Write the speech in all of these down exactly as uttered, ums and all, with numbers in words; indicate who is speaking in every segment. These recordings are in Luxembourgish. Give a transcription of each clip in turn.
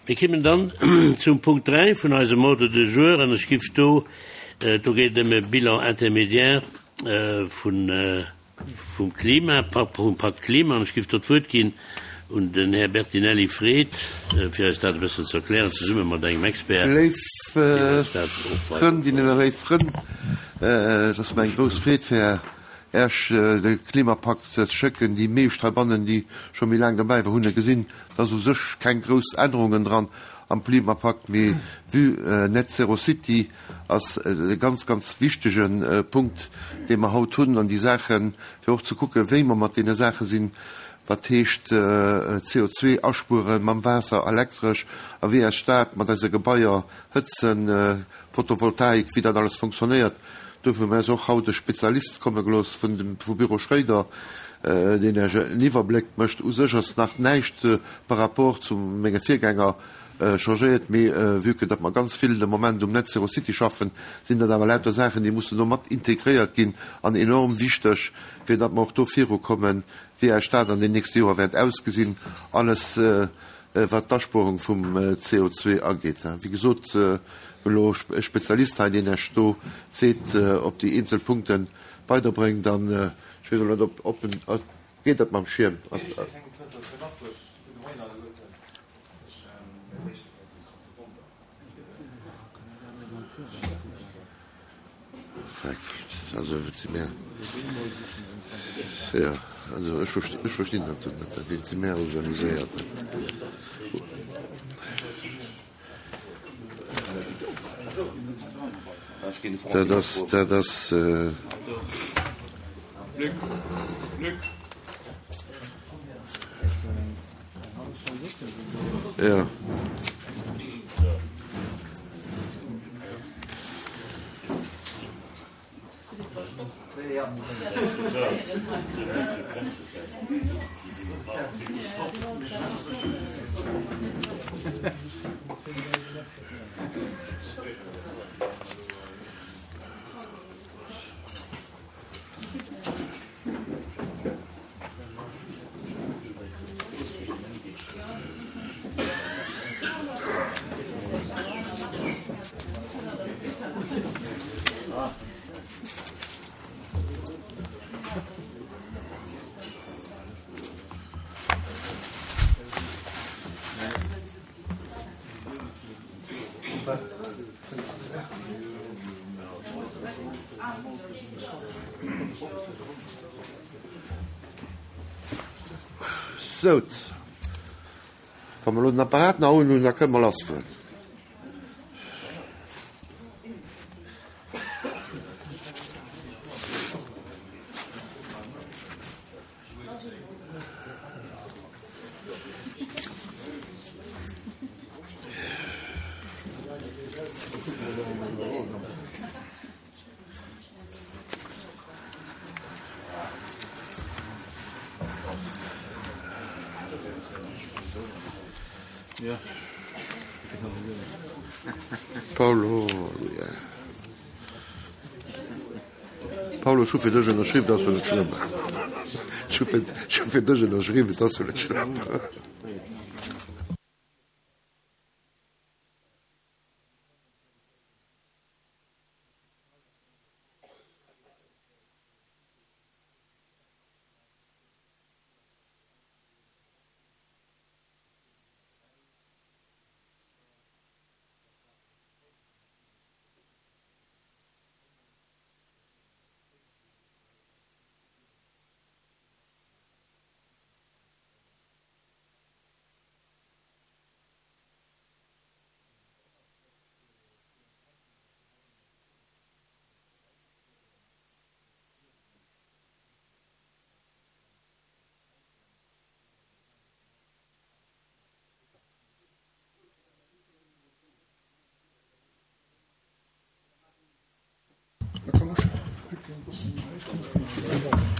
Speaker 1: Mir kimmen dann zum Punkt dräi vun eisem Ordre du jour an ech giff do, do geet et ëm e Bilan intermédiaire vun, vum Klimapakt, vum Pakt Klima, an ech giff do d'Wuert ginn un den Här Bertinelli Fred, fir eis dat e bëssen ze erklären, zesumme mat engem Expert,
Speaker 2: Léif
Speaker 1: deen eis dat och weider
Speaker 2: Frëndinnen a léif Frënn, et ass mer eng grouss Freed, fir Äech de Klimapakt ze schécken. Déi meescht heibannen, déi scho méi laang derbäi war, hunn e gesinn. Et ass u sech keng grouss Ännerungen dran am Klimapakt, mee vue Net Zero City ass et e ganz, ganz wichtege Punkt, dee mer haut hunn an déi Saachen, fir och ze kucken, wéi mer mat deene Saache sinn, wat heescht C O zwee aspuere mam Waasser, elektresch, a wéi eis Stad mat eise Gebaier hëtzen, Photovoltaik, wéi dat alles fonctionnéiert. Dofir hu mir eis och haut e Spezialist komme gelooss vun dem, vu Büro Schréider, deen Iech en Iwwerbléck mécht. U sech ass nach näischt par rapport zu menge Virgänger changéiert, mee vue que datt mer ganz vill de Moment um Net Zero City schaffen, sinn dat awer lauter Saachen, déi mussen do mat integréiert ginn an enorm wichteg, fir datt mer och do virukommen, wéi eis Stad an den nächste Joer wäert ausgesinn, alles wat d'Aspuerung vum C O zwee ageet. Wéi gesot, elo e Spezialist hei, deen Iech do seet, op déi eenzel Punkte weiderbréngt. An ech weess elo net, ob ob en geet dat mam Schierm. Also et si mär, jo, also ech versti ech verstinn dat net, et si mär organiséiert. Dat ass, dat ass. Jo. Sout, wa mer elo den Apparat nach un hunn, da kënne mer lassfueren. Paulo, Paulo, ech hu fir dech ënnerschriwwen, dat ass jo net schlëmm. Ech hu fir, ech hu fir dech ënnerschriwwen, dat ass jo net schlëmm.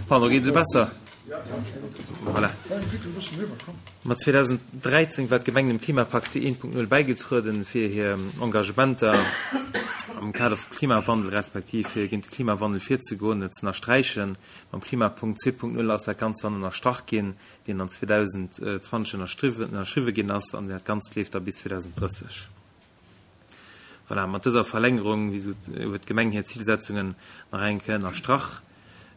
Speaker 3: Pardon, geet esou besser? Voilà. Ma zweedausenddräizéng war d'Gemeng dem Klimapakt eent Punkt null bäigetrueden, fir hir Engagementer am Kader vum Klimawandel respektiv fir géint de Klimawandel virzegoen, ze ënnersträichen. Mam Klimapakt zwee Punkt null ass dat Ganzt dann ënnerstrach ginn, deen dann zweedausendzwanzeg ënnerschriwwe ginn ass, an dat Ganzt leeft da bis zweedausenddrësseg. Voilà, mat dëser Verlängerung, wéi gesot, huet d'Gemeng hir Zilsetzungen nach eng Kéier ënnerstrach,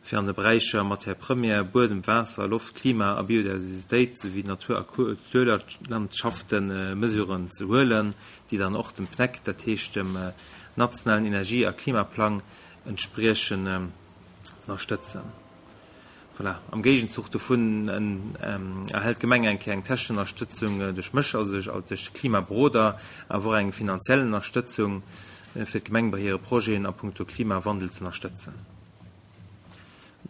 Speaker 3: fir an de Beräicher Matière première, Buedem, Waasser, Loft, Klima a Biodiversitéit souwéi Natur a Kulturlandschaften Mesuren ze huelen, déi dann och dem PNEC, dat heescht dem nationalen Energie a Klimaplang, entspriechen, ze ënnerstëtzen. Voilà. Am Géigenzuch dovun erhält d'Gemeng eng Kéier eng technesch Ënnerstëtzung duerch mech, also duerch de Klimaberoder, awer och eng finanziell Ënnerstëtzung, fir d'Gemeng bei hire Projeten a puncto Klimawandel ze ënnerstëtzen.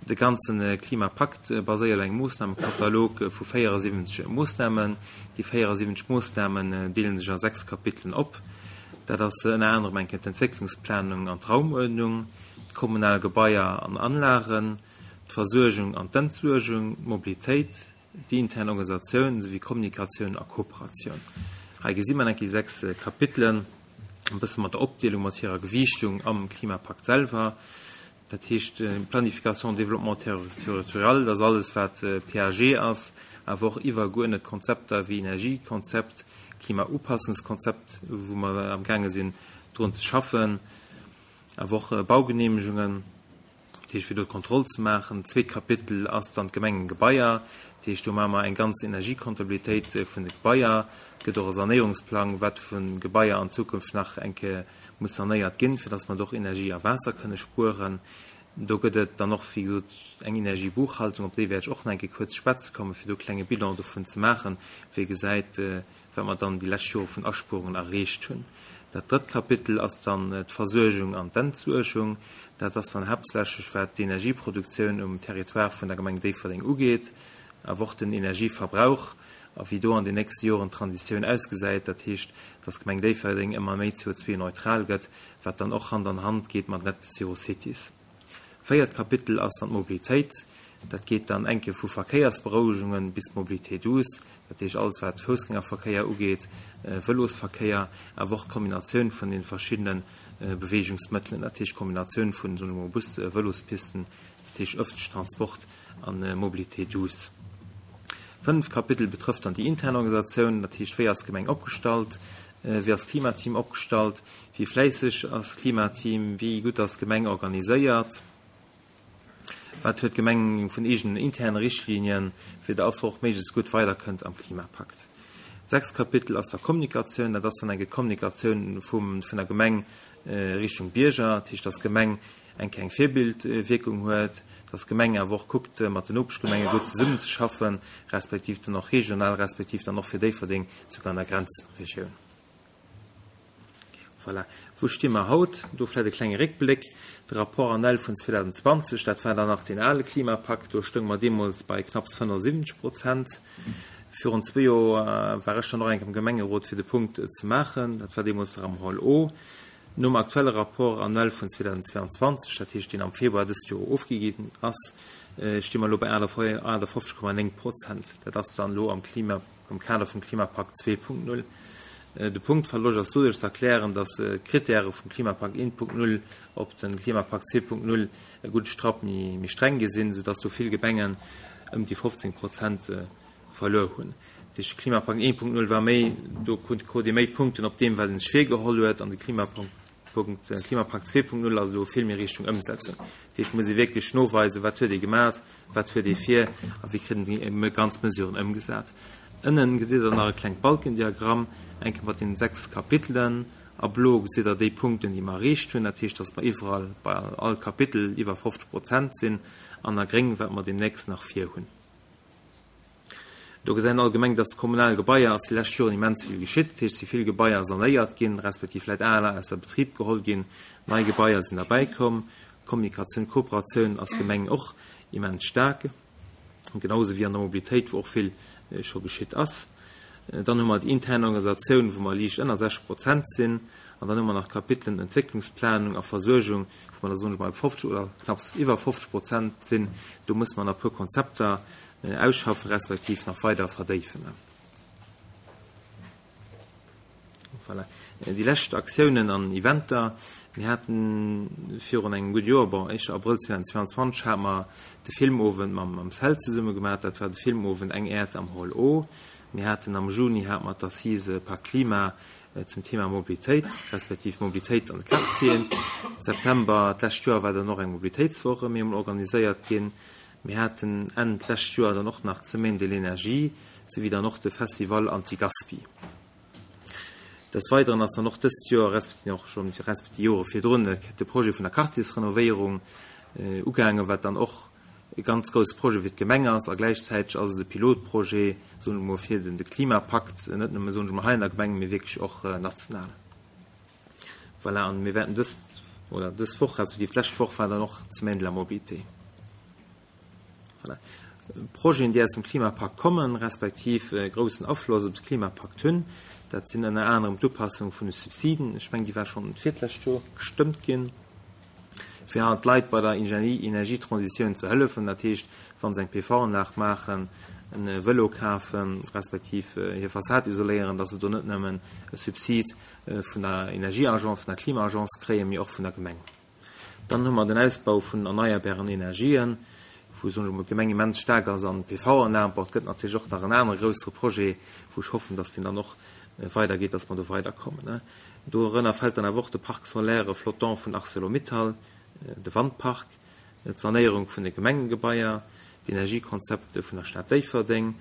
Speaker 3: De ganze Klimapakt baséiert op engem Moossnamekatalog vu véierasiwwenzeg Moossnamen. Déi véierasiwwenzeg Moossnamen deele sech a sechs Kapitelen op. Dat ass ënner anerem eng Kéier d'Entwécklungsplanung an d'Raumuerdnung, d'kommunal Gebaier an Anlagen, d'Versuergung an d'Entsuergung, d'Mobilitéit, déi intern Organisatioun souwéi Kommunikatioun a Kooperatioun. Hei gesi mer eng Kéier déi sechs Kapitelen, e bësse mat der Opdeelung, mat hirer Gewiichtung am Klimapakt selwer. Dat heescht Planification, Développement territorial, dat ass alles wat P A G ass, awer och iwwergeuerdnet Konzepter wéi Energiekonzept, Klimaupassungskonzept, wou mer am gaange sinn drun ze schaffen, awer och Baugenehmegungen, dat heescht fir do d'Kontroll ze maachen. Zweet Kapitel ass dann d'Gemengegebaier, dat heescht do maache mer eng ganz Energiekontabilitéit vun de Gebaier. Et gëtt och e Sanéierungsplang, wat vu Gebaier an Zukunft nach eng Kéier muss sanéiert ginn, fir dass mer do och Energie a Waasser kënne spueren. Do gëtt et dann och, wéi gesot, eng Energiebuchhaltung, op déi wäert ech och nach eng Kéier kuerz schwätze kommen, fir do e klenge Bilan dovun ze maachen, wéi ee gesäit, wat mer dann déi lescht Jore vun Aspuerungen erreecht hunn. Dat drëtt Kapitel ass dann d'Versuergung an d'Entsuergung. Dat ass dann haaptsächlech, wat d'Energieproduktioun um Territoire vun der Gemeng Déifferdeng ugeet, awer och den Energieverbrauch a wéi do an den nächste Joren d'Transitioun ausgesäit. Dat heescht, dass d'Gemeng Déifferdeng ëmmer méi C O zwei neutral gëtt, wat dann och Hand an Hand geet mat Net Zero Cities. Véiert Kapitel ass dann d'Mobilitéit. Dat geet dann enke vu Verkéiersberouegungen bis Mobilité douce, dat heescht alles wat Foussgängerverkéier ugeet, Vëlosverkéier, awer och d'Kombinatioun vun den verschiddene Beweegungsmëttelen, dat heescht d'Kombinatioun vun, soen ech mol, Bus, Vëlospisten, dat heescht ëffentlechen Transport an Mobilité douce. Fënneft Kapitel betrëfft dann déi intern Organisatioun, dat heescht wéi ass d'Gemeng opgestallt, wéi ass d'Klimateam opgestallt, wéi fläisseg ass d'Klimateam, wéi gutt ass d'Gemeng organiséiert, wat huet d'Gemeng vun eegenen interne Richtlinien, fir dass se och méiglechst gutt weiderkënnt am Klimapakt. Sechst Kapitel ass da Kommunikatioun, dat ass dann eng Kommunikatioun vum, vun der Gemeng Richtung Bierger, dat heescht, dass d'Gemeng eng kleng Virbildwierkung huet, dass d'Gemeng awer och kuckt, mat den Nopeschgemenge gutt zesummenzeschaffen, respektiv dann och regional, respektiv dann och fir Déifferdeng souguer an der Grenzregioun. Voilà. Wou sti mer haut? Do vläicht e klenge Réckbléck. De Rapport annuel vun zweedausendzwanzeg, dat war dann nach deen ale Klimapakt, do stounge mer deemools bei knapps fënnefensiwwenzeg Prozent. Virun zwee Joer war ech dann och eng Kéier am Gemengerot, fir de Punkt ze maachen. Dat war deemools nach am Hall O. Nom aktuelle Rapport annuel vun zweedausendzweianzwanzeg, dat heescht deen am Februar dëst Joer ofgi ginn ass, sti mer elo bei aachtafofzeg Komma néng Prozent. Dat ass dann elo am Klima, am Kader vum Klimapakt zwee Punkt null. De Punktverloscht ass doduerch ze erklären, datt d'Krittäre vum Klimapakt eent Punkt null op de Klimapakt zwee Punkt null e gudde Strapp méi streng gi sinn, soudatt do vill Gemengen ëm déi fofzéng Prozent verluer hunn. Dat heescht, de Klimapakt eent Punkt null war méi, do krut ee méi Punkten op deem, wat ee sech virgeholl huet, an de Klimapakt zwee Punkt null ass elo vill méi Richtung Ëmsetzung. Dat heescht, et muss ee wierklech noweisen, wat huet ee gemaach, wat huet ee vir a wéi kritt een déi ganz Mesuren ëmgesat. Ënnen gesitt der nach e klengt Balkendiagramm, eng Kéier mat den sechs Kapitelen. A blo gesitt der déi Punkten, déi mer erreecht hunn, dat heescht, dass mer iwwerall bei all Kapitel iwwer fofzeg Prozent sinn, an a gréng, wat mer deemnächst nach vir hunn. Do gesäit een allgemeng, dass kommunal Gebaier ass déi lescht Joren immens vill geschitt, dat heescht, si vill Gebaier sanéiert ginn, respektiv vläicht aler ausser Betrib geholl ginn, nei Gebaier sinn derbäikomm. Kommunikatioun, Kooperatioun ass Gemeng och immens staark. Genauso wéi an der Mobilitéit, wou och vill scho geschitt ass. Dann hu mer déi intern Organisatioun, wou mer liicht ënner sechzeg Prozent sinn. An dann hu mer nach d'Kapitelen Entwécklungsplanung a Versuergung, wou mer da, soen ech mol, fofzeg oder knapps iwwer fofzeg Prozent sinn. Do musse mer nach e puer Konzepter ausschaffen, respektiv nach weider verdéifen. Voilà. Déi lescht Aktiounen an Eventer, Mir haten virun engem gudde Joer, bon, éischter Abrëll zweedausendzweianzwanzeg, hate mer de Filmowend mam mam CEL zesumme gemaach. Dat war de Filmowend Eng Äerd am Hall O. Mir haten am Juni hate mer d'Assise Pakt Klima zum Thema Mobilitéit, respektiv Mobilitéit an de Quartieren. September d'lescht Joer war dann och eng Mobilitéitswoch erëm eemol organiséiert ginn. Mir haten Enn d'lescht Joer dann och nach d'Semaine de l'énergie souwéi dann och de Festival Anti-Gaspi. Des Weideren ass dann och dëst Joer, respektiv och schonn respektiv déi Jore virdrun, de Projet vun der Quartiersrenovéierung ugaangen, wat dann och e ganz grousse Projet fir d'Gemeng ass a gläichzäiteg ass et e Pilotprojet, soen ech emol, fir de Klimapakt, net nëmme, soen ech emol, hei an der Gemeng, mee wierklech och national. Voilà, an mir wäerten dëst oder dës Woch, respektiv d'lescht Woch war dann och d'Semaine de la mobilité. Voilà. Projeten, déi aus dem Klimapakt kommen, respektiv e groussen Afloss op de Klimapakt hunn, dat sinn ënner anerem d'Upassung vun de Subsiden, ech mengen, déi war schonn d'virlescht Joer gestëmmt ginn, fir halt d'Leit bei der Energietransitioun ze hëllefen, dat heescht, wa se eng P V-Anlag maachen, e Vëlo kafen, respektiv hir Fassad isoléieren, dass se do net nëmmen e Subsid vun der Energieagence, vun der Klimaagence kréien, mee och vun der Gemeng. Dann hu mer den Ausbau vun erneierbaren Energien, wou, soen ech emol, d'Gemeng immens staark ass an P V-Anlagen. Bon, et gëtt natierlech och nach en anere groussere Projet, wou ech hoffen, dass deen dann och weidergeet, dass mer do weiderkommen. Dorënner fält dann awer och de Parc solaire flottant vun Arcelor-Mittal, de Wandpark, d'Sanéierung vun de Gemengegebaier, d'Energiekonzepte vun der Stad Déifferdeng,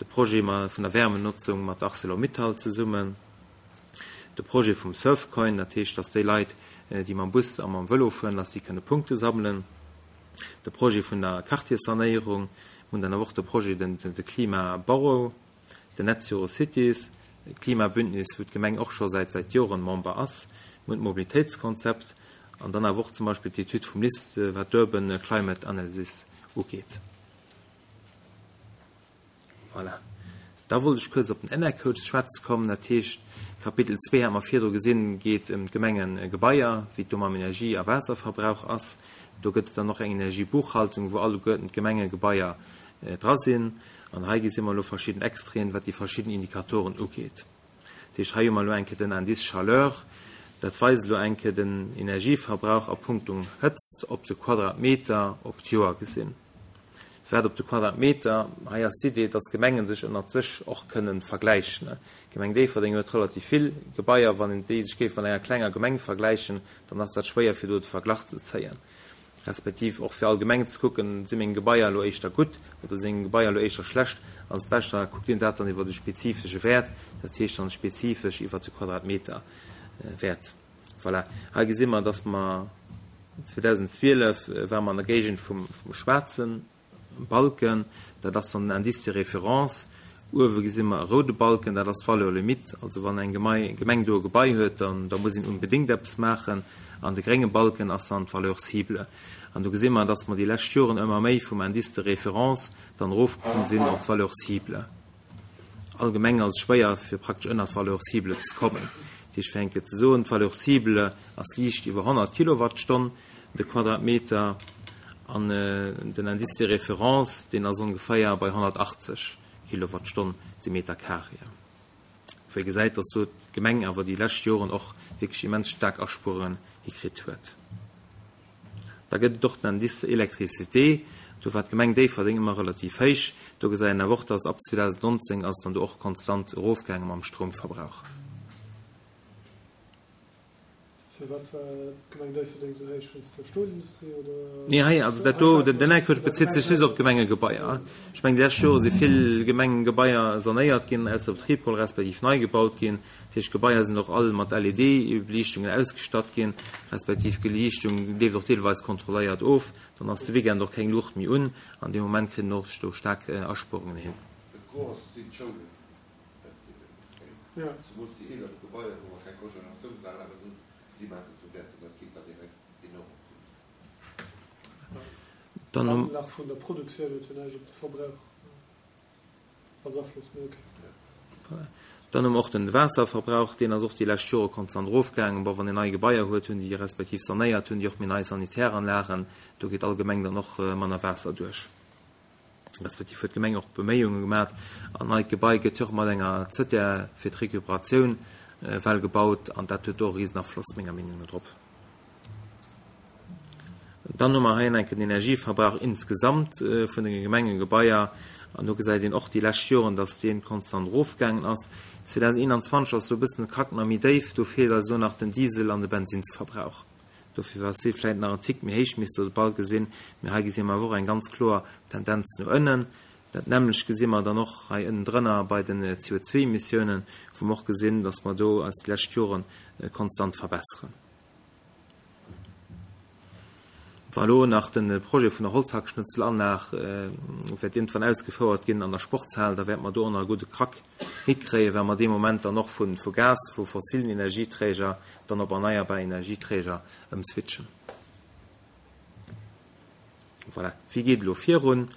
Speaker 3: de Projet vun der Wärmenotzung mat Arcelor-Mittal zesummen, de Projet vum Surfcoin, dat heescht, dass déi Leit, déi mam Bus a mam Vëlo fueren, dass déi kënne Punkte sammelen, de Projet vun der Quartierssanéierung, mir hunn dann awer och de Projet, den de Klimaborough, den Net Zero Cities, d'Klimabündnis, wou d'Gemeng och scho säit säit Joren Member ass, mir hunn d'Mobilitéitskonzept an dann awer och zum Beispill d'Etüd vum LIST, wat d'Urban Climate Analysis ugeet. Voilà. Da wollt ech kuerz op den Enercode ze schwätze kommen. Dat heescht, Kapitel zwee, hat mer virdru gesinn, geet ëm d'Gemengegebaier, wéi et do mam Energie a Waasserverbrauch ass. Do gëtt et dann och eng Energiebuchhaltung, wou alleguerten d'Gemengegebaier dra sinn. An hei gesi mer elo verschidden Extraiten, wat déi verschidden Indikatoren ugeet. Dat heescht, hei hu mer elo eng Kéier den Indice Chaleur. Dat weist elo eng Kéier den Energieverbrauch a punkto Hëtzt op de Quadratmeter op d'Joer gesinn. Wat op de Quadratmeter, hei ass d'Idee, dass d'Gemengen sech ënnert sech och kënnen vergläichen. D'Gemeng Déifferdeng huet relativ vill Gebaier, wann een déi sech géif mat enger klenger Gemeng vergläichen, dann ass dat schwéier fir do de Verglach ze zéien, respektiv och fir allgemeng ze kucken, si meng Gebaier elo éischter gutt oder si meng Gebaier elo éischter schlecht, ass et beschter, da kuckt een dat dann iwwer de spezifesche Wäert, dat heescht dann spezifesch iwwer de Quadratmeterwäert. Voilà, hei gesi mer, dass mer zweedausendzwielef ware mer an der Géigend vum schwaarzen Balken, dat ass dann den Indice de référence. Uewe gesi mer e roude Balken, dat ass d'Valeur limite, also wann eng Gemeng do e Gebai huet, dann da muss een unbedéngt eppes maachen. An de grénge Balken ass dann d'Valeur cible. An do gesi mer, dass mer déi lescht Joren ëmmer méi vum Indice de référence dann erofkomm sinn op d'Valeur cible. Allgemeng ass et schwéier, fir praktesch ënnert d'Valeur cible ze kommen. Dat heescht, fir eng Kéier ze soen, d'Valeur cible ass liicht iwwer honnert Kilowattstonn de Quadratmeter an den Indice de référence, deen ass ongeféier bei honnertachtzeg Kilowattstonn de Meter carré. Wou ee gesäit, dass do d'Gemeng awer déi lescht Joren och wierklech immens staark Aspuerungen hikritt huet. Da gëtt et och den Indice électricité, do war d'Gemeng Déifferdeng ëmmer relativ héich. Do gesäit een awer och, dass ab zweedausendnonzéng ass et dann do och konstant erofgaange mam Stroumverbrauch.
Speaker 4: Firwat war d'Gemeng Déifferdeng esou héich? Wéinst der Stolindustrie oder?
Speaker 3: Nee, hei, also dat do, den Encode bezitt sech just op d'Gemengegebaier. Ech mengen, déi lescht Jore si vill Gemengegebaier sanéiert ginn, ausser Betrib geholl respektiv nei gebaut ginn. Dat heescht, d'Gebaier sinn och all mat L E D-Beliichtungen ausgestatt ginn, respektiv d'Beliichtung leeft och deelweis kontrolléiert of. Dann ass de Weekend och keng Luucht méi un an dee Moment kritt een och do staark Aspuerungen hin.
Speaker 2: De Gros sinn d'Schoulen, dat kréien, zemools déi eeler Gebaier, wou mer keng Cogeneratiounsanlagen hunn, déi maachen zu Wäerten, dat geet da direkt enorm op d'Luucht.
Speaker 3: Dann hu.
Speaker 4: Nach vun der Produktioun huet jo näischt op de Verbrauch als Afloss, mee ok.
Speaker 3: Dann hu mer och den Waasserverbrauch, deen ass och déi lescht Jore konstant erofgaangen. Bon, wann een nei Gebaier huet, hunn déi respektiv sanéiert, hunn déi och méi nei Sanitäranlagen, do geet allgemeng dann och manner Waasser duerch. Respektiv huet d'Gemeng och Beméiunge gemat. An neit Gebai gëtt jo och mat enger Zëttär fir d'Recuperatioun well gebaut an dat huet och e Risenafloss menger Meenung no drop. Dann hu mer hei enken den Energieverbrauch insgesamt vun de Gemengegebaier an do gesäit een och déi lescht Joren, dass dee konstant erofgaangen ass. zweedausendeenanzwanzeg ass do e bëssen de Krack nach méi déif, do feelt eis elo nach den Diesel an de Bensinsverbrauch. Dofir ass dee vläicht nach en Tick méi héich, misst Der bal gesinn. Mee hei gesi mer awer och eng ganz kloer Tendenz no ënnen. Dat nämmlecht gesi mer dann och hei ënnendrënner bei den C O zwei Emissiounen, wou mer och gesinn, dass mer do eis déi lescht Jore konstant verbesseren. Wa elo nach de Projet vun der Holzhackschnëtzelanlag wäert iergendwann ausgefouert ginn an der Sportshal, da wäerte mer do och nach e gudde Krack hikréien, well mer dee Moment dann och vu Gas, vu fossilen Energieträger dann op erneierbar Energieträger ëmswitchen. Voilà. Wéi geet elo virun?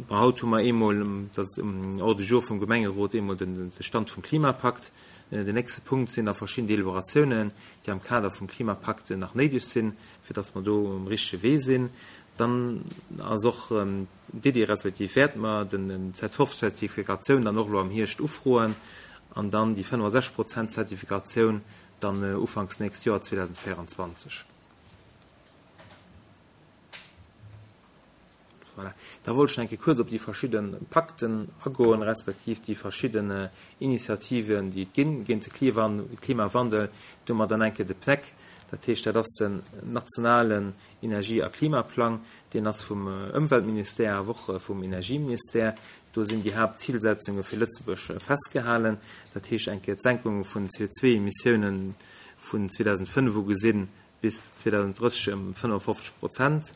Speaker 3: Bon, haut hu mer eemol, dat ass um Ordre du jour vum Gemengerot, eemol de Stand vum Klimapakt. Den nächste Punkt sinn da verschidden Deliberatiounen, déi am Kader vum Klimapakt nach néideg sinn, fir dass mer do um richtege Wee sinn. Dann ass och d'Iddi, respektiv wäerte mer den Z fünf Zertifikatioun dann och elo am Hierscht ufroen an dann déi fënnefasechzeg Prozent Zertifikatioun dann ufanks nächst Joer zweedausendvéieranzwanzeg. Voilà. Da wollte ich enke kurz op déi verschidde Pakten agoen, respektiv déi verschidden Initiativen, déi et ginn géint de Klimawandel. Do hu mer dann enke de P N E C, dat heescht, dat ass den nationalen Energie- a Klimaplang, deen ass vum Ëmweltministère, awer och vum Energieministère. Do sinn déi Haaptzilsetzunge fir Lëtzebuerg festgehalen. Dat heescht enke d'Senkung vun C O zwei Emissiounen vun zweedausendfënnef u gesinn bis zweedausendrësseg ëm fënnefundfofzeg Prozent,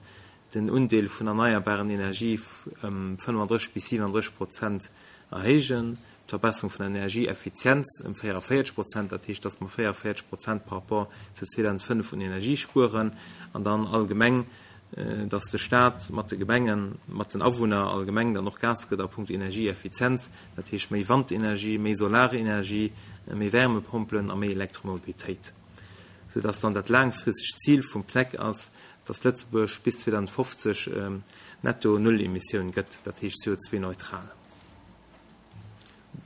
Speaker 3: den Undeel vun erneierbaren Energie ëm fënnefundrësseg bis siewenunddrësseg Prozent erhéijen, d'Verbesserung vun der Energieeffizienz ëm véierundvéierzeg Prozent, dat heescht, dass mer véierundvéierzeg Prozent par rapport zu zweedausendfënnef un Energie spueren, an dann allgemeng, dass de Staat mat de Gemengen, mat den Awunner allgemeng dann och Gas gëtt a puncto Energieeffizienz, dat heescht méi Wandenergie, méi Solarenergie, méi Wärmepompelen a méi Elektromobilitéit, sodass dann dat laangfristegt Zil vum P N E C ass, dass Lëtzebuerg bis zweedausendfofzeg netto Null-Emissioun gëtt, dat heescht C O zwei neutral.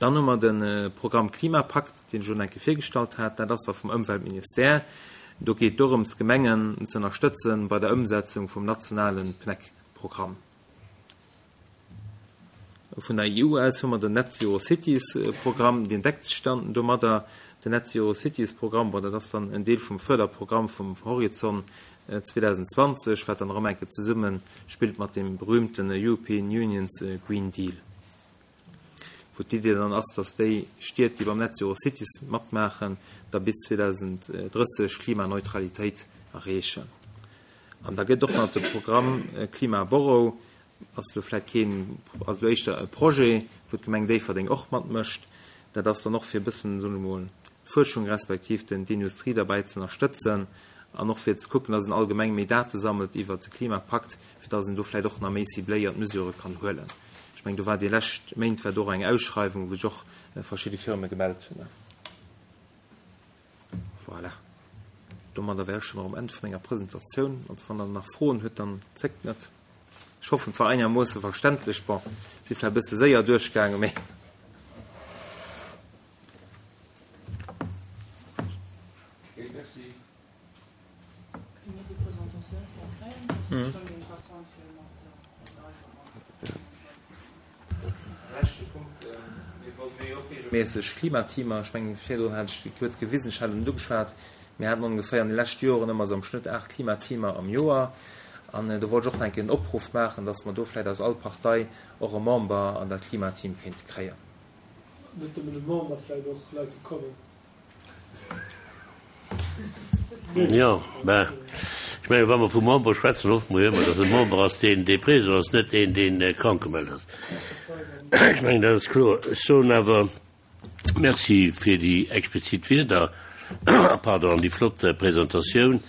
Speaker 3: Dann hu mer de Programm Klimapakt, deen ech schon enke virgestallt hat, dat ass da vum Ëmweltministère. Do geet dorëms, Gemengen ze ënnerstëtzen bei der Ëmsetzung vum nationalen P N E C-Programm. Vun der E U aus hu mer den Net Zero Cities Programm, deen deckt sech dann domadder. Den Net Zero Cities Programm, bon, dat ass dann en Deel vum Förderprogramm vum Horizon zweedausendzwanzeg, wat dann erëm enke zesumme spillt mat dem berühmten European Union's Green Deal. Wou d'Idee dann ass, dass déi Stied, déi beim Net Zero Cities matmaachen, da bis zweedausendrësseg Klimaneutralitéit erreechen. An da gëtt och nach de Programm Klima Borough, ass lo vläicht keen, also lo éischter e Projet, wou d'Gemeng Déifferdeng och matmécht. Dat ass dann och fir e bëssen, soen wir mol, d'Fuerschung respektiv den, d'Industrie dabei ze ënnerstëtzen an och fir ze kucken, dass en allgemeng méi Date sammelt iwwer de Klimapakt, fir dass en do vläicht och nach méi cibléiert Mesure kann huelen. Ech meng, do war déi lescht Méint war do och eng Ausschreibung, wou sech och verschidde Firme gemeldet hunn. Voilà. Domadder wär ech schon am Ende vun enger Presentatioun. Also wann der nach Froen huet, dann zéckt net. Ech hoffen, et war einigermoosse verständlech. Bon, si vläicht e bësse séier duerchgaangen, mee
Speaker 2: Okay, merci.
Speaker 5: Kënne mir déi Presentatioun vläicht kréien? Dat ass bestimmt interessant fir mat eis am
Speaker 3: Leschte Punkt, mir wollten jo och regelméisseg Klimateamer, ech mengen, virdrun hat ech déi kuerz gewisen, ech hat en ugeschwat, mir haten ongeféier an de leschte Joren ëmmer sou am Schnëtt aacht Klimateamer am Joer. An do wollt ech och nach eng Kéier en Opruff maachen, dass mer do vläicht aus all Partei och e Member an dat Klimateam kéinte kréien.
Speaker 4: Net nëmmen e Member, vläicht och Leit, déi kommen.
Speaker 1: Jo, ben, ech menge, wa mer vu Member schwätzen, hoffe mer jo ëmmer, dass e Member ass, deen dee présent ass, net een, deen krank gemellt ass. Ech mengen, dat ass kloer. Ech soen awer Merci fir déi explizit Wierder, pardon, an déi flott Presentatioun.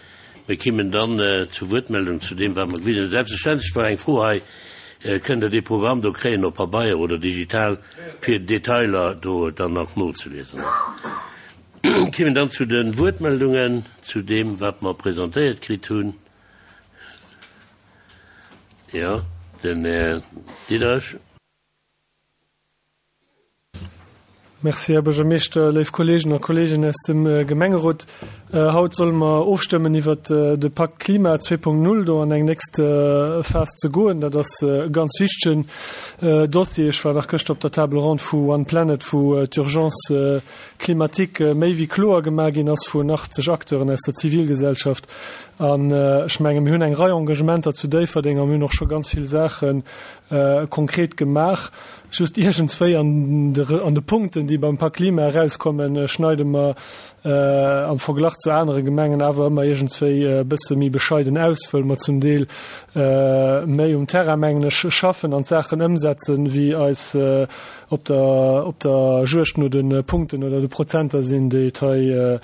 Speaker 1: Mir kimmen dann zur Wuertmeldung zu deem, wat mer gewisen hunn. Selbstverständlech war eng Fro hei, kënnt Der dee Programm do kréien op Pabeier oder digital, fir Detailer do dann nach nozeliesen. Kimmen dann zu den Wuertmeldungen, zu deem, wat mer presentéiert kritt hunn. Ja, den Här Diderich.
Speaker 4: Merci, Här Buergermeeschter, léif Kolleegen a Kolleeginnen aus dem Gemengerot. Haut solle mer ofstëmmen iwwert de Pakt Klima zwee Punkt null, do an eng nächst Phas ze goen. Dat ass e ganz wichtegen Dossier. Ech war nach gëschter op der Table ronde vu One Planet, wou d'Urgence climatique méi wéi kloer gemaach ginn ass vun achtzeg Acteuren aus der Zivilgesellschaft. An ech menge mir hunn eng Rei Engagementer zu Déifferdeng a mir hunn och scho ganz vill Saache konkret gemaach. Just iergendswéi an de an de Punkten, déi beim Pak Klima erauskommen, schneide mer am Verglach zu anere Gemengen awer ëmmer iergendswéi e bësse méi bescheiden aus, wëll mer zum Deel méi um Terrain, mengen ech, schaffen an d'Saachen ëmsetzen, wéi eis op der op der Juegd no de Punkten oder de Prozenter sinn, déi et hei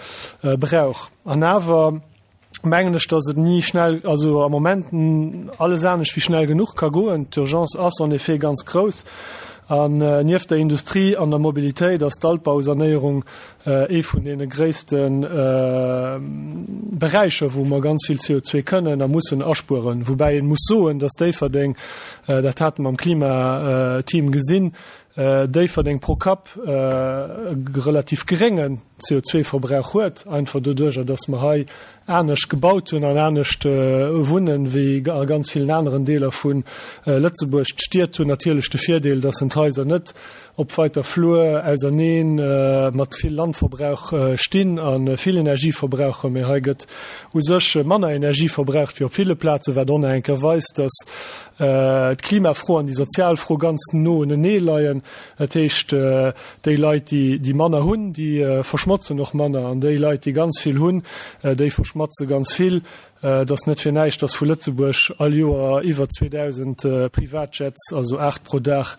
Speaker 4: brauch. An awer mengen ech, dass et ni schnell, also am Moment alles anescht wéi schnell genuch ka goen. D'Urgence ass en effet ganz grouss. An nieft der Industrie an der Mobilitéit ass d'Altbausanéierung ee vun deene gréisste Beräicher, wou mer ganz vill C O zwei kënnen a mussen aspueren. Woubäi een muss soen, dass Déifferdeng, dat hate mer am Klimateam gesinn, Déifferdeng pro Kapp e relativ geréngen C O zwei Verbrauch huet, einfach doduercher, dass mer hei anescht gebaut hunn an anescht wunnen wéi a ganz vielen aneren Deeler vun Lëtzebuerg. D'Stied hunn natierlech de Virdeel, dass en d'Haiser net op weiter Flur auserneen mat vill Landverbrauch stinn an vill Energie verbrauchen. Mee hei gëtt u sech manner Energie verbraucht wéi op ville Plaze, wat och enker weist, dass d'Klimafro an déi Sozialfro ganz no unenee leien. Dat heescht, déi Leit, déi, déi manner hunn, déi verschmotzen och manner, an déi Leit, déi ganz vill hunn, déi verschmotze ganz vill. Dat ass net fir näischt, dass vu Lëtzebuerg all Joer iwwer zweedausend Privatjets, also acht pro Dag,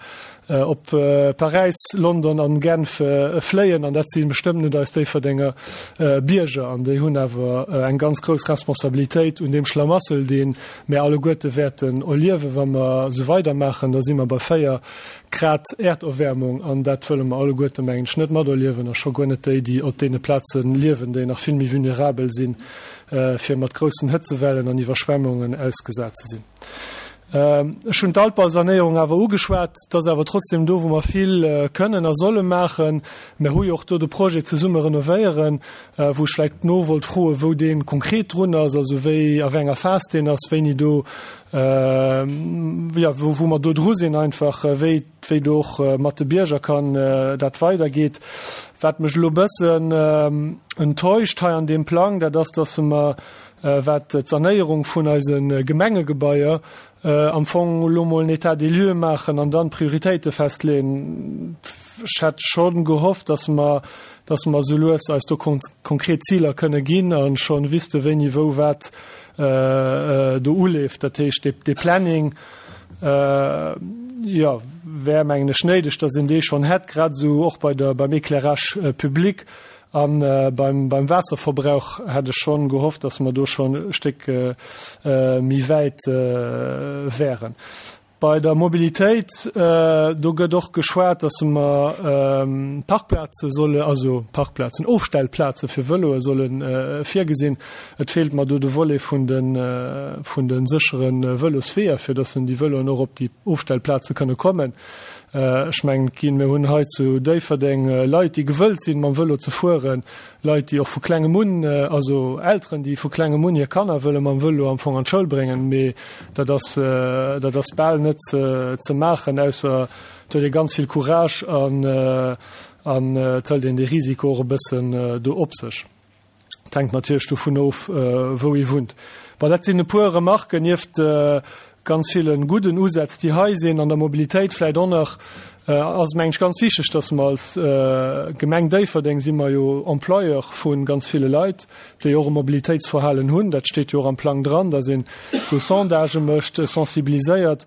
Speaker 4: op Paräis, London an Genf fléien, an dat si bestëmmt net eis Déifferdenger Bierger, an déi hunn awer eng ganz grouss Responsabilitéit un deem Schlamassel, deen mir alleguerte wäerten erliewen, wa mer sou weidermaachen. Da si mer bei véier Grad Erderwärmung, an dat wëlle mer alleguerte, mengen ech, net materliewen, a scho guer net déi, déi op deene Plaze liewen, déi nach vill méi vulnerabel sinn, fir mat groussen Hëtzewellen an Iwwerschwemmungen ausgesat ze sinn. Ech hunn d'Altbausanéierung awer ugeschwat, dat ass awer trotzdem do, wou mer vill kënnen a solle maachen. Mir hu jo och do de Projet zesumme renovéieren, wou ech vläicht no wollt froen, wou dee konkret drun ass, also wéi a wéi enger Phas deen ass, wéini do, ja, wou, wou mer do dru sinn einfach, wéi, wéi do och mat de Bierger kann dat weidergeet. Wat mech elo bëssen enttäuscht hei an deem Plang, dat ass, dass mer, wat d'Sanéierung vun eise Gemengegebaier am Fong elo mol en État des lieux maachen an dann Prioritéite festleeën. Ech hätt schon gehofft, dass mer, dass mer sou lues eis do kon-, konkret Ziler kënne ginn an schon wüsste, wéini, wou, wat do uleeft. Dat heescht, de, de Planning, äh, ja, wär mengen ech néideg, dass een dee schon hätt, grad sou och bei der, beim Éclairage public an äh, beim, beim Wasserverbrauch hätt ech schon gehofft, dass mer do schon e Stéck, äh, méi wäit, äh, wären. Bei der Mobilitéit, äh, do gëtt och geschwat, dass mer, ähm, Parkplaze solle, also Parkplazen, Ofstellplaze fir Vëloe sollen, äh, virgesinn. Et feelt mer do de Volet vun den, äh, vun den sécheren Vëlosweeër, fir dass déi Vëloen och op déi Ofstellplaze kënne kommen. Äh, ech mengen, ginn, mir hunn hei zu Déifferdeng, äh, Leit, déi gewëllt sinn, mam Vëlo ze fueren, Leit, déi och vu klengem un, äh, also Elteren, déi vu klengem un hir Kanner wëlle mam Vëlo am Fong an d'Schoul bréngen, mee dat ass, äh, dat ass bal net ze, ze maachen, ausser et huet ee ganz vill Courage an, äh, an, äh, et hëlt een de Risiko och e bëssen, äh, do op sech. Dat hänkt natierlech dovun of, äh, wou ee wunnt. Bon, dat sinn e puer Remarken nieft, äh, ganz vielen guten Usätz, déi hei sinn an der Mobilitéit vläicht och nach, äh, ass mengen ech ganz wichteg, dass mer als, äh, Gemeng Déifferdeng si mer jo Employeur vun ganz ville Leit, déi och e Mobilitéitsverhalen hunn. Dat steet jo och am Plang dran, dass een do Sondage mécht, sensibiliséiert.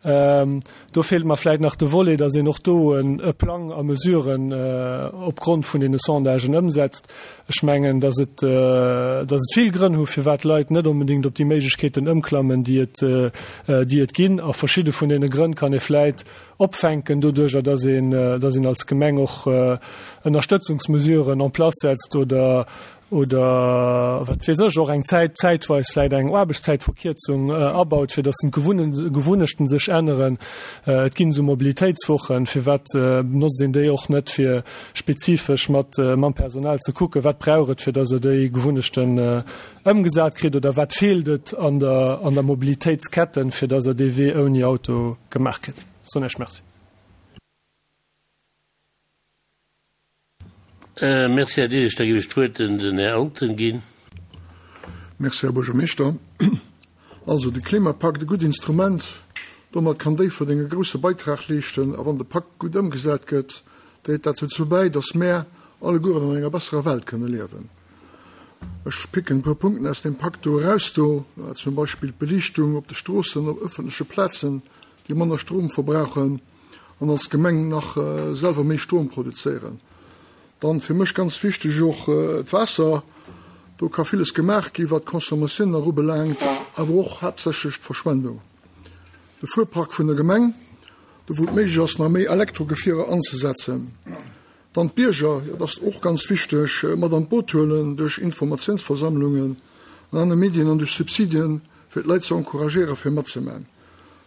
Speaker 4: Ähm, do feelt mer vläicht nach de Volet, dass een och do en, e Plang a Mesuren, äh, opgrond vun den Sondagen ëmsetzt. Ech mengen, dass et, äh, dass et vill Grënn hu, firwat Leit net onbedingt op déi Méiglechkeeten ëmklammen, déi et, äh, déi et ginn. A verschidde vun deene Grënn kann ee vläicht opfänken, doduercher, dass een, äh, dass een als Gemeng och, äh, Ënnerstëtzungsmesuren en place setzt oder, oder wat weess ech, och eng Zäit, zäitweis vläicht eng Aarbechtszäitverkierzung abaut, fir datt d'Gewunnechten sech änneren. Et ginn esou Mobilitéitswochen, firwat benotzt een déi och net, fir spezifesch mat mam Personal ze kucken, wat brauch et, fir datt e déi Gewunnechten ëmgesat kritt oder wat feelt et an der an der Mobilitéitsketten, fir datt e dee Wee ouni Auto gemaach kritt. Soen ech Merci.
Speaker 1: Merci, Här Diderich. Da géif ech d'Wuert den Här Alten ginn.
Speaker 6: Merci, Här Buergermeeschter. Also, de Klimapakt, e gutt Instrument, domat kann Déifferdeng e grousse Beitrag leeschten. A wann de Pakt gutt ëmgesat gëtt, dréit dat dozou bäi, dass mär allegueren an enger besserer Welt kënne liewen. Ech picken e puer Punkten aus deem Pakt do eraus do, zum Beispill d'Beliichtung op de Stroossen, op ëffentleche Plazen, déi manner Strom verbrauchen an als Gemeng nach selwer méi Strom produzéieren. Dann fir mech ganz wichteg och d'Waasser. Do ka villes gemaach gi wat d'Consommatioun nach ubelaangt, awer och haaptsächlech d'Verschwendung. De Fuerpark vun der Gemeng, do wou et méiglech ass nach méi Elektrogefierer anzesetzen. Dann d'Bierger, jo dat ass och ganz wichteg, mat an d'Boot huelen duerch Informatiounsversammlungen an aner Medien an duerch Subsidien, fir d'Leit ze encouragéiere fir matzemaachen.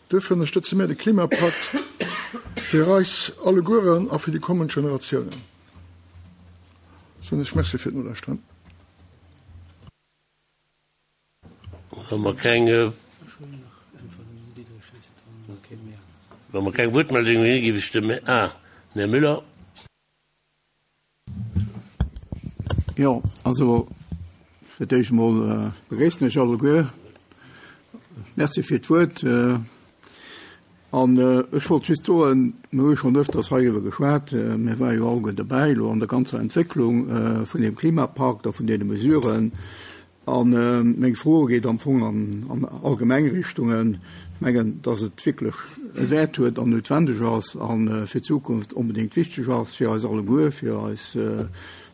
Speaker 6: Duerfir ënnerstëtze mir de Klimapakt fir eis allegueren a fir déi kommend Generatiounen. Soen ech Merci fir d'Nolauschteren.
Speaker 1: Wa mer keng, wa mer keng Wuertmeldung hunn, géif ech dem, ah, den Här Müller.
Speaker 7: Jo, also fir d'éischt emol begréissen ech alleguer. Merci fir d'Wuert. An ech wollt just soen, mir hu schonn öfters heiriwwer geschwat, mir ware jo alleguer derbäi elo an der ganzer Entwécklung vun deem Klimapakt a vun deene Mesuren. A meng Fro geet am Fong an allgemeng Richtungen. Ech mengen, dass et wierklech e Wäert huet an noutwendeg ass a fir d'Zukunft onbedéngt wichteg ass fir eis alleguer, fir eis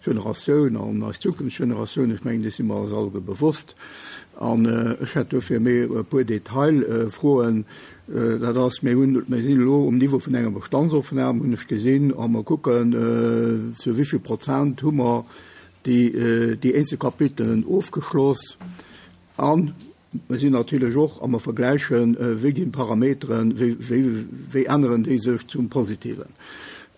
Speaker 7: Generatioun an eis zukünfteg Generatioun. Ech mengen, dees si mer eis alleguer bewosst. An ech hätt dofir méi e puer Detailfroen. Dat ass, mir hunn, mir sinn elo um Niveau vun enger Bestandsopnam, hunn ech gesinn, a mer kucken, zu wéi vill Prozent hu mer déi, déi eenzel Kapitelen ofgeschloss. A mir sinn natierlech och, a mer vergläichen, wéi ginn d'Parameteren, wéi, wéi, wéi änneren déi sech zum Positiven.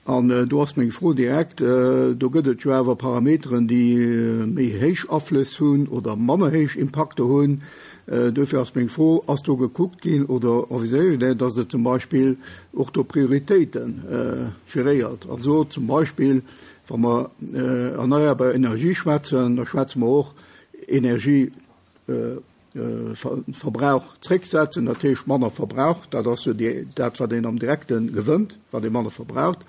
Speaker 7: An do ass meng Fro direkt, do gëtt et jo awer Parameteren, déi méi héich Aflëss hunn oder manner héich Impakter hunn. Duerfir ass meng Fro, Ass do gekuckt ginn oder envisagéiert Dir, dass Der zum Beispill och do Prioritéite geréiert? Also zum Beispill, wa mer erneierbar Energie schwätzen, da schwätze mer och Energie, Verbrauch zrécksetzen, dat heescht manner Verbrauch, dat ass jo dat, wat een am Direkte gewënnt, wat ee manner verbraucht.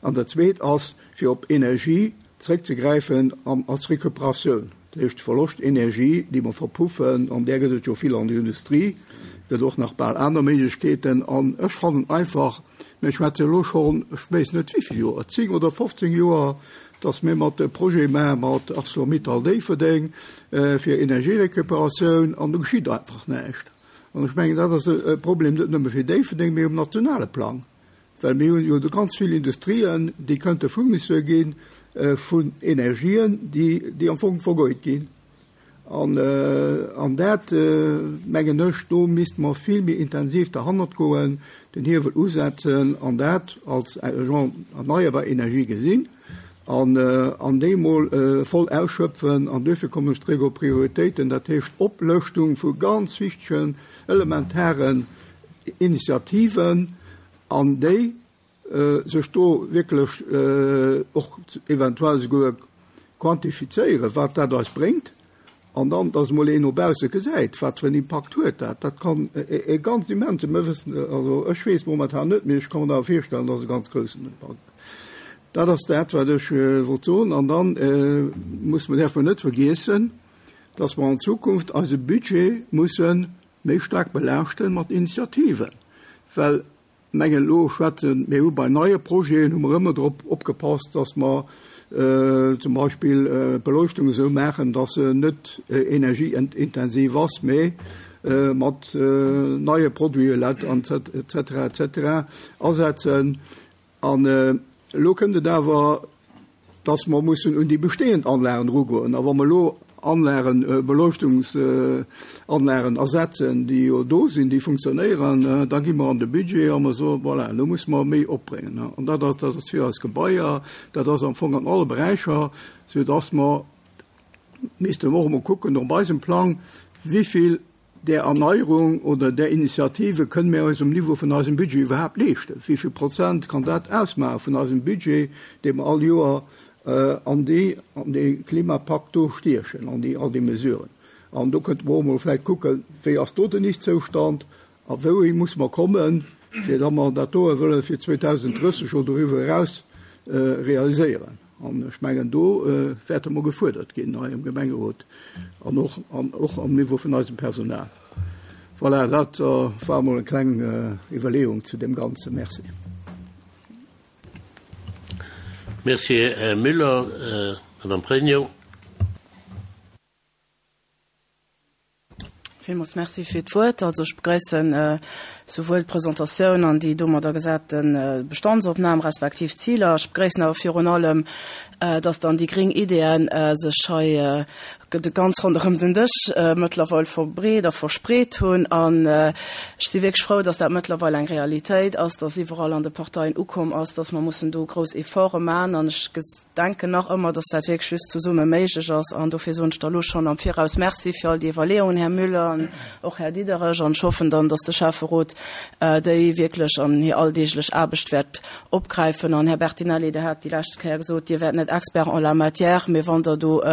Speaker 7: An dat Zweet ass, fir op Energie zréckzegräifen als Recuperatioun, dat heescht Verloschtenergie, déi mer verpuffen, an där gëtt et jo vill an der Industrie, gëtt och nach bal aner Méiglechkeeten. An ech fannen einfach, mir schwätze elo schonn, ech weess net wéi vill Joer, zéng oder fofzéng Joer, dass mir mat de Projet maache mat ArcelorMittal Déifferdeng fir Energierecuperatioun, an do geschitt einfach näischt. An ech mengen, dat ass e Problem net nëmme fir Déifferdeng, mee um nationale Plang, well mir hunn jo do ganz vill Industrien, déi kënnte Fournisseur gi vun Energien, déi, déi am Fong vergeut ginn. An, an dat, mengen ech, do misste mer vill méi intensiv derhannert goen, den Hiewel usetzen an dat als genre erneierbar Energie gesinn an, an déi emol voll ausschöpfen. An duerfir kommen ech zeréck op Prioritéiten, dat heescht Oplëschtung vu ganz wichtegen, elementaren Initiativen an déi sech do wierklech och eventuell souguer quantifizéieren, wat dat eis bréngt, an dann, dass emol een no bausse gesäit, wat fir en Impakt huet dat. Dat kann e ganz immensen, mir wëssen, also ech weess momentan net, mee ech ka mer awer virstellen, dass e ganz groussen Impakt. Dat ass dat, wat ech wollt soen. An dann muss mer, däerfe mer net vergiessen, dass mer an Zukunft eise Budget musse méi staark belaaschte mat Initiativen, well mengen elo schwätzen, mir hu bei neie Projeten hu mer ëmmer drop opgepasst, dass mer zum Beispill d'Beleuchtung esou maachen, dass se net energieintensiv ass, mee mat neie Produite L E D an et cetera et cetera asetzen. An elo kënnt et awer dass mer mussen un déi bestehend Anlagen erugoen. A wa mer elo Anlagen, Beleuchtungsanlagen ersetzen, déi jo do sinn, déi funktionéieren, da gi mer an de Budget a mer soen, voilà, elo musse mer méi opbréngen. An dat ass, dat ass fir eis Gebaier, dat ass am Fong an alle Beräicher, soudass mer missten och emol kucken op eisem Plang, wéi vill där Erneierung oder där Initiative kënnen mir eis um Niveau vun eisem Budget iwwerhaapt leeschten. Wéi vill Prozent kann dat ausmaache vun eisem Budget, dee mer all Joer an déi, an dee Klimapakt do stiechen, an déi, all déi Mesuren. An do könnte mer och emol vläicht kucken, wéi ass do den Ist-Zoustand a wouhi muss mer kommen, fir datt mer dat doe wëlle fir zweedausend drësseg oder doriwwer eraus realiséieren. An ech mengen, do wäerte mer gefuerdert ginn hei am Gemengerot an och, an och am Niveau vun eisem Personal. Voilà, dat war emol eng kleng Iwwerleeung zu deem Ganzen. Merci.
Speaker 1: Merci, Här Müller. Madame Pregno.
Speaker 5: Villmools Merci fir d'Wuert. Also ech begréissen souwuel d'Presentatioun an déi domadder gesate Bestandsopnam respektiv Ziler. Ech begréissen awer virun allem, dass dann déi gréng Ideeën sech hei ganz ronderëm den Dësch mëttlerweil verbreet a verspreet hunn. An ech si wierklech frou, dass dat mëttlerweil eng Realitéit ass, dass iwwerall an de Parteien ukomm ass, dass mer mussen do grouss Efforte maachen. An ech denken nach ëmmer, dass dat wierklech just zesumme méiglech ass. An dofir soen ech da lo schonn am Viraus Merci fir all déi Iwwerleeungen, Här Müller an och Här Diderich. An ech hoffen dann, dass de Schäfferot déi wierklech an hir alldeeglech Aarbecht wäert opgräifen. An Här Bertinelli, Der hat déi lescht Kéier gesot, Dir wäert net Expert en la matière, mee wann Der do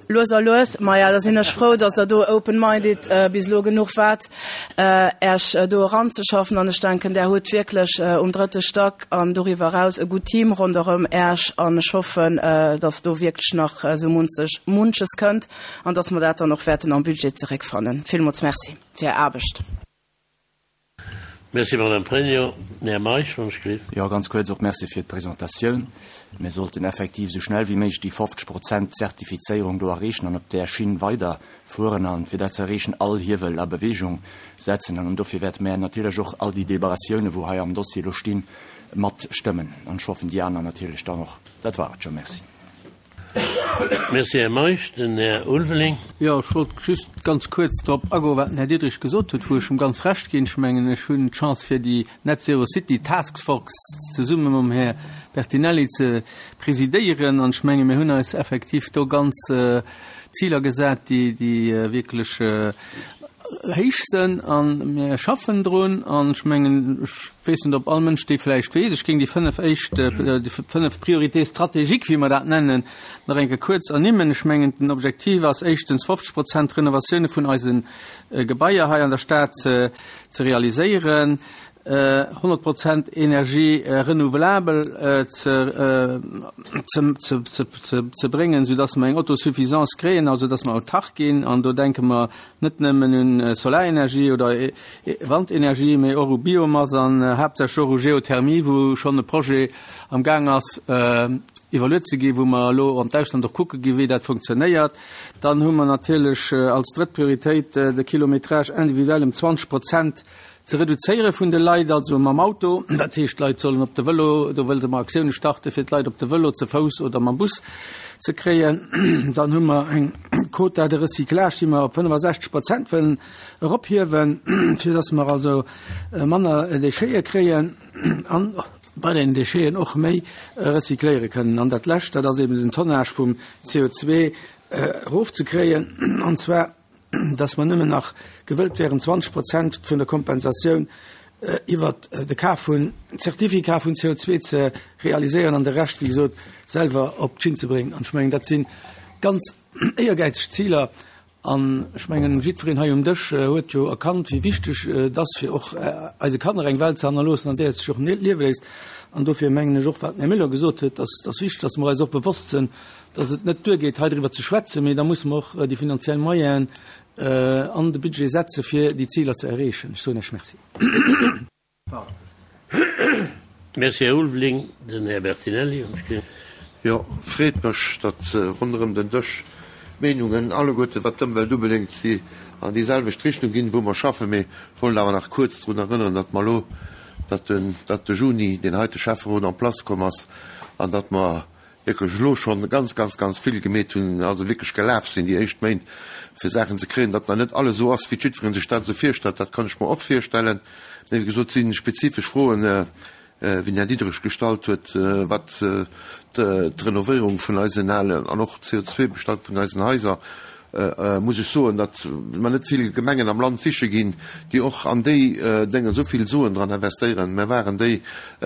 Speaker 5: lues a lues, maja, da sinn ech frou, dass Der do open-minded bis elo genuch waart, Äech do eranzeschaffen. An ech denken, Der hutt wierklech um drëtte Stack an doriwwer eraus e gutt Team ronderëm Äech. An ech hoffen, dass do wierklech nach esou munzeg, munches kënnt an dass mer dat dann och wäerten am Budget zeréckfannen. Villmools Merci fir Är Aarbecht.
Speaker 1: Merci, Madame Pregno. Här Meisch, wann ech gelift.
Speaker 8: Jo, ganz kuerz och Merci fir d'Presentatioun. Mir sollten effektiv esou schnell wéi méiglech déi fofzeg Prozent Zertifizéierung do erreechen an op där Schinn weiderfueren an fir dat ze erreechen all Hiewel a Bewegung setzen. An dofir wäerte mär natierlech och all déi Deliberatiounen, wou hei am Dossier elo stinn, matstëmmen. An ech hoffen, déi aner natierlech dann och. Dat war et scho. Merci.
Speaker 1: Merci, Här Meisch. Den Här Ulveling.
Speaker 9: Jo, ech wollt just ganz kuerz drop agoen, wat den Här Diderich gesot huet, wou ech em ganz Recht ginn. Ech mengen, ech hunn d'Chance, fir déi Net Zero City Task Force zesumme mam Här Bertinelli ze presidéieren. An ech menge mir hunn eis effektiv do ganz Ziler gesat, déi, déi wierklech héich sinn, a mir schaffen drun. An ech mengen, ech weess net, ob all Mënsch déi vläicht weess, ech géing déi fënnef éischt, déi fënnef Priorités stratégiques, wéi mer dat nennen, nach eng Kéier kuerz ernimmen. Ech mengen, den Objektiv ass éischtens, fofzeg Prozent Renovatioune vun eise Gebaier hei an der Stad ze realiséieren, honnert Prozent Energie renouvelabel ze ze bréngen, soudass mer eng Autosuffisance kréien, also dass mer autark ginn. An do denke mer net nëmmen un Solarenergie oder Wandenergie, mee och u Biomass an haaptsächlech och u Geothermie, wou schonn e Projet am Gaang ass iwwerluet ze ginn, wou mer elo an d'Ausland och kucke ginn, wéi dat funktionéiert. Dann hu mer natierlech als drëtt Prioritéit de Kilométrage individuel ëm zwanzeg Prozent ze reduzéiere vun de Leit, also mam Auto. Dat heescht, d'Leit sollen op de Vëlo, do wëllte mer Aktioune starte fir d'Leit op de Vëlo, ze Fouss oder mam Bus ze kréien. Dann hu mer eng Quota de recyclage, déi mer op fënnefasechzeg Prozent wëllen erophiewen, fir datt mer also manner Déchete kréien an bei den Décheten och méi recycléiere kënnen. An dat Lescht, dat ass eben den Tonnage vum C O zwee erofzekréien, an zwar dass mer nëmmen nach gewëllt wären, zwanzeg Prozent vun der Kompensatioun iwwert de Kaf vun Zertifikat vun C O zwee ze realiséieren an de Rescht, wéi gesot, selwer op d'Schinn ze bréngen. An ech mengen, dat si ganz éiergäizeg Ziler. An ech mengen, jiddwereen hei um Dësch huet jo erkannt, wéi wichteg et ass, fir och eise Kanner eng Welt ze hannerloossen, an där et sech och liewe léisst. An dofir mengen ech och, wat den Här Müller gesot huet, dass et ass wichteg, dass mer eis och bewosst sinn, dass et net duergeet, hei driwwer ze schwätzen, mee da musse mer och déi finanziell Moyenen an de Budget setze fir déi Ziler ze erreechen. Ech soen Iech Merci.
Speaker 1: Merci, Här Ulveling. Den Här Bertinelli.
Speaker 2: Jo, freet mech, datt ronderëm den Dësch d'Meenungen alleguerte wat d'Ëmwelt ubelaangt si an déi selwecht Richtung ginn, wou mer schaffen. Mee ech wollt awer nach kuerz drun erënneren, datt mer elo, datt den, datt de Juni deen heite Schäfferot en place komm ass an datt mer wierklech elo schonn ganz, ganz, ganz vill gemeet hunn, also wierklech gelaf sinn déi éischt Méint, fir Saachen ze kréien. Datt nach net alles esou ass, wéi jiddweree sech dat esou virstellt, dat kann ech mer och virstellen. Mee wéi gesot, et si spezifesch Froen, wéi den Här Diderich gestallt huet, wat d'Renovéierung vun eisen alen an och d'C O zwei Bestand vun eisen Haiser, muss ech soen, datt mer net vill Gemengen am Land siche ginn, déi och an déi Dénge esou vill Suen dran investéieren. Mer waren déi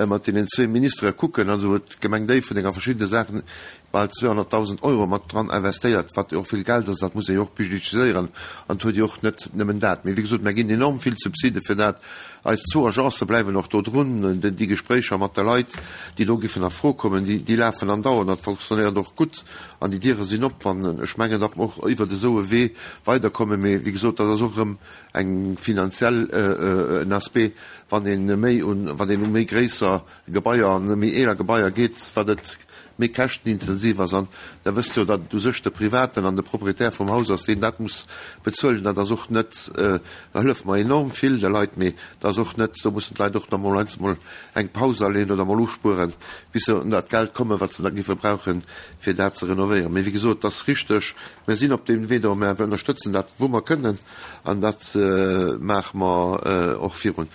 Speaker 2: mat deenen zwee Ministere kucken, also huet d'Gemeng Déifferdeng a verschiddene Saachen bal zweehonnertdausend Euro mat dran investéiert, wat jo och vill Geld ass, dat muss ee jo och budgetiséieren an et huet jo och net nëmmen dat. Mee wéi gesot, mer ginn enorm vill Subside fir dat. Eis zwou Agencë bleiwen och do drun. Déi Gespréicher mat de Leit, déi do giffen a Fro kommen, déi, déi lafen andauernd. Dat fonctionnéiert och gutt an déi Diere sinn op. An ech mengen, datt mer och iwwert esou e Wee weiderkommen. Mee wéi gesot, dat ass och erëm eng finanziell, en Aspect, wann ee méi un, wann een u méi gréisser Gebaier an méi eeler Gebaier geet, wat et méi käschtenintensiv ass. An Der wësst jo, datt et u sech de Privaten an de Proprietär vum Haus ass, deen dat muss bezuelen. Dat ass och net, da hëllef mer enorm vill de Leit, mee dat ass och net, do mussen d'Leit och nach mol heiansdo mol eng Paus aleen oder mol uspueren, bis se un dat Geld kommen, wat se da géife brauchen, fir dat ze renovéieren. Mee wéi gesot, et ass richteg, mir sinn op deem Wee do, mer ënnerstëtzen dat, wou mer kënnen, an dat maache mer och virun.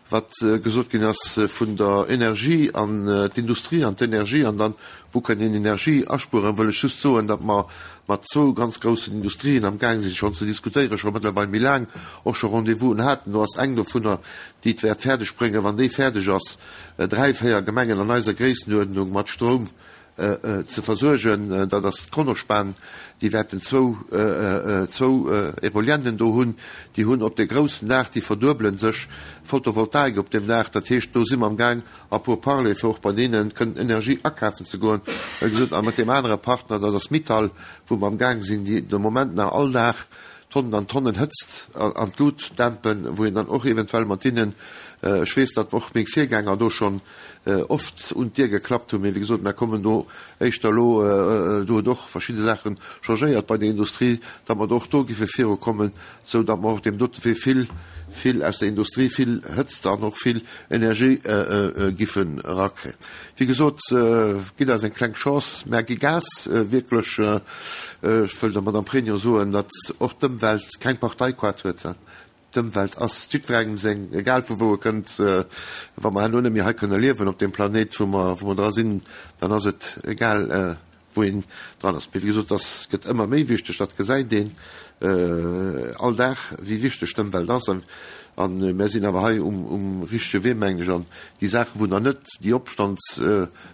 Speaker 2: Wat gesot ginn ass vun der Energie an d'Industrie an d'Energie an dann, wou kënnt een Energie aspueren, wëll ech just soen, datt mer mat zwou ganz groussen Industrien amgaang sinn schonn ze diskutéieren, scho mëttlerweil méi laang och scho Rendez-vousen haten. Do ass eng dovunner, déi et wäert fäerdeg bréngen, wann déi fäerdeg ass, dräi, véier Gemengen an eiser Gréissenuerdnung mat Stroum ze versuergen. Dat ass d'Kronospan. Déi wäerten zwou, zwou Éoliennen do hunn. Déi hunn op de groussen Daach, déi verduebele sech, Photovoltaik op deem Daach. Dat heescht, do si mer amgaang a Pourparlers, fir och bei deene kënnen Energie akafen ze goen. Wéi gesot, a mat deem anere Partner, dat ass Mittal, wou mer amgaang sinn, déi de Moment nach all Dag Tonnen an Tonnen Hëtzt an d'Lut dämpen, wou een dann och eventuell mat hinnen, ech weess, datt och meng Virgänger do schonn oft un d'Dier geklappt hunn, mee wéi gesot, mer kommen do éischter elo, do huet och verschidde Saache changéiert bei der Industrie, datt mer do och do géife virukommen, esou datt mer och deem dote Wee vill, vill aus der Industrie, vill Hëtzt an och vill Energie giffen erakréien. Wéi gesot, gitt eis eng kleng Chance, mer gi Gas, wierklech. Ech wëll der Madame Pregno soen, datt och d'Ëmwelt keng Parteikoart huet. D'Ëmwelt ass jiddwerengem seng, egal vu wou e kënnt. Wa mer herno net méi hei kënne liewen op deem Planéit, wou mer, wou mer dra sinn, dann ass et egal, wou een dran ass. Mee wéi gesot, dat gëtt ëmmer méi wichteg, dat gesäit een all Dag, wéi wichteg d'Ëmwelt ass. A mär sinn awer hei um, um richtege Wee, mengen ech. An déi Saachen, wou nach net déi Opstand,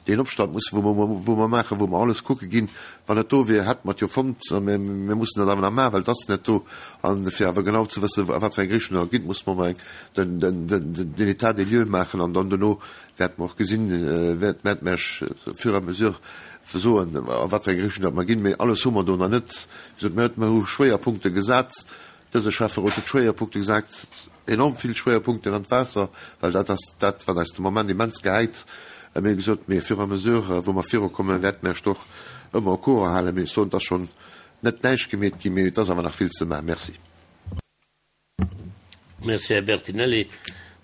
Speaker 2: deen Opstand musse wou mer, wou mer maachen, wou mer alles kucke ginn, wann et do wier, hätte mer et jo fonnt. A mir, mir mussen dat awer nach maachen, well et ass net do. A fir awer genau ze wëssen, a wat fir eng Richtung dat geet, musse mer emol eng, den, den, den, den État des lieux maachen. An dann dono wäerte mer och gesinn, wäert, wäerte mer Iech au fur et à mesure soen, a wat fir eng Richtung dat mer ginn. Mee alles hu mer do nach net. Wéi gesot, mir hu Schwéierpunkte gesat. Dëse Schäfferot huet Schwéierpunkte gesat, enorm vill Schwéierpunkten an d'Waasser, well dat ass dat, wat eis de Moment immens gehäit. Mir hu gesot, mee fur et à mesure, wou mer virukommen, wäerte mer Iech och ëmmer au courant halen. Mee ech soen, et ass schonn net näischt gemeet ginn, mee et ass awer nach vill ze maachen. Merci.
Speaker 1: Merci, Här Bertinelli.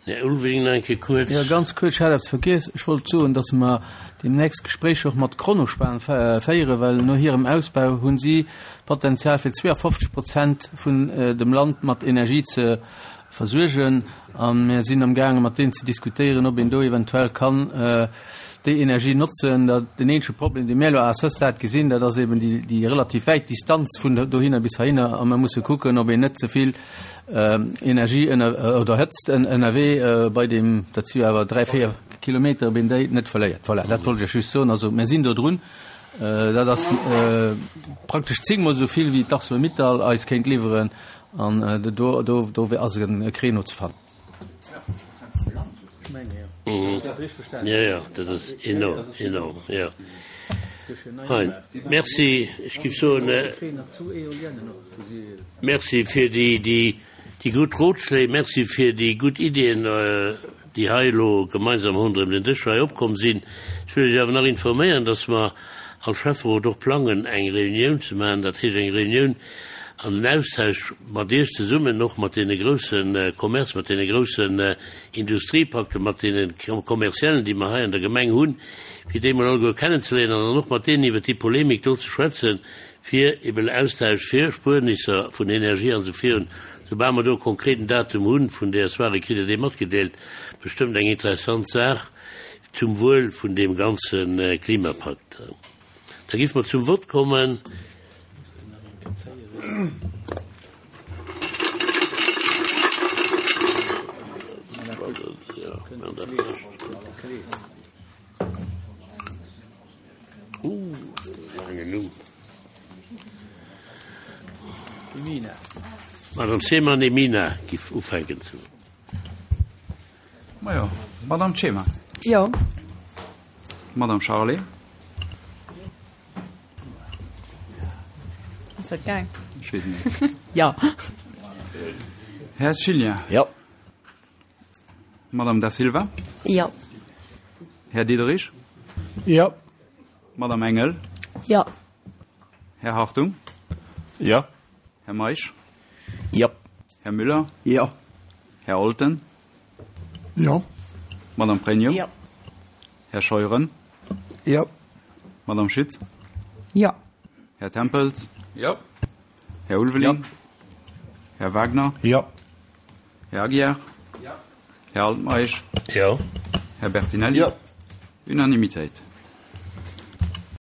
Speaker 1: Här Ulveling, nach eng Kéier kuerz.
Speaker 9: Jo, ganz kuerz, ech hat eppes vergiess. Ech wollt soen, dass mer deemnächst Gespréicher och mat Kronospan féieren, well no hirem Ausbau hu si d'Potenzial fir zweeafofzeg Prozent vun dem Land mat Energie ze versuergen. A mir sinn amgaange mat deenen ze diskutéieren, ob een do eventuell kann déi Energie notzen. Den eenzege Problem, dee mir elo à ce stade gesinn, dat ass eben déi relativ wäit Distanz vun dohinner bis heihinner. A mir musse kucken, ob een net ze vill Energie oder Hëtzt ënnerwee bei deem, dat si jo awer dräi, véier Kilometer, ob een déi net verléiert. Voilà, dat wollt ech just soen. Also mir sinn do drun. Dat ass praktesch zéngmol esou vill, wéi d'Arcelor-Mittal eis kéint liwweren. An do, do, do ass e Créneau ze fannen.
Speaker 1: Jo, jo, dat ass enorm, enorm, jo. Hein, merci. Ech géif soen, merci fir déi, déi, déi gutt Rotschléi, merci fir déi gutt Iddien, déi hei elo gemeinsam ronderëm den Dësch hei opkomm sinn. Ech wëll Iech awer nach informéieren, dass mer als Schäfferot och plangen, eng Reunioun ze maachen, dat heescht eng Reunioun an den Austausch mat Iech zesummen, och mat deene grousse Commerce, mat deene groussen Industriepakten, mat deene Commerciellen, déi mer hei an der Gemeng hunn, fir déi emol alleguer kennenzeléieren an dann och mat deenen iwwert déi Polemik do ze schwätzen, fir eben Austausch fir Spuernisser vun Energie an esou virun. Soubal mer do e konkreten Datum hu vun där Soirée, kritt Der dee matgedeelt. Bestëmmt eng interessant Saach zum Wuel vun deem ganze Klimapakt. Da géife mer zum Vott kommen. D'Madame Ceman Emina giff ufänken ze.
Speaker 10: Majo, Madame Ceman.
Speaker 11: Jo.
Speaker 10: Madame Charlé.
Speaker 11: Ass dat gaang?
Speaker 10: Ech weess net.
Speaker 11: Jo.
Speaker 10: Här Schilien.
Speaker 8: Jo.
Speaker 10: Madame Da Silva.
Speaker 11: Jo.
Speaker 10: Här Diderich.
Speaker 4: Jo.
Speaker 10: Madame Engel.
Speaker 11: Jo.
Speaker 10: Här Hartung.
Speaker 12: Jo.
Speaker 10: Här Meisch.
Speaker 8: Jo.
Speaker 10: Här Müller.
Speaker 7: Jo.
Speaker 10: Här Olten.
Speaker 6: Jo.
Speaker 10: Madame Pregno.
Speaker 5: Jo.
Speaker 10: Här Scheuren.
Speaker 7: Jo.
Speaker 10: Madame Schütz.
Speaker 11: Jo.
Speaker 10: Här Tempels.
Speaker 12: Jo.
Speaker 10: Här Ulveling.
Speaker 12: Jo.
Speaker 10: Här Wagner.
Speaker 2: Jo.
Speaker 10: Här Aguiar. Jo. Här Altmeisch.
Speaker 1: Jo.
Speaker 10: Här Bertinelli.
Speaker 2: Jo.
Speaker 10: Unanimitéit.